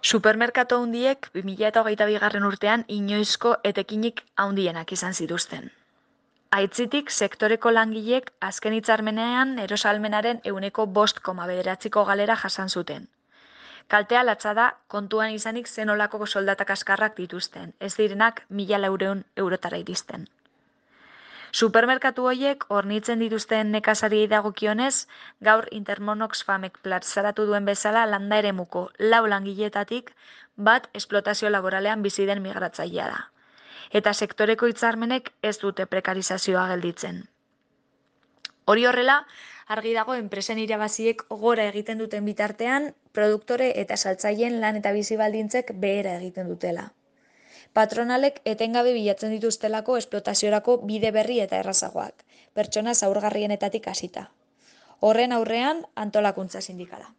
Supermerkatu handiek 2022 urtean inoizko etekinik handienak izan zituzten. Aitzitik, sektoreko langileek azken hitzarmenean erosalmenaren 5,9%ko galera jasan zuten. Kaltea latza da kontuan izanik zenolako soldata kaskarrak dituzten, ez direnak 1.400 eurotara iristen. Supermerkatu horiek hornitzen dituzten nekazariei dagokionez, gaur Intermonox Famek plazaratu duen bezala landa eremuko 4 langiletatik bat esplotazio laboralean bizi den migratzailea da. Eta sektoreko hitzarmenek ez dute prekarizazioa gelditzen. Hori horrela, argi dago enpresen irabaziek gora egiten duten bitartean, produktore eta saltzaileen lan eta bizi baldintzek behera egiten dutela. Patronalek etengabe bilatzen dituztelako esplotaziorako bide berri eta errazagoak, pertsona zaurgarrienetatik hasita. Horren aurrean antolakuntza sindikala.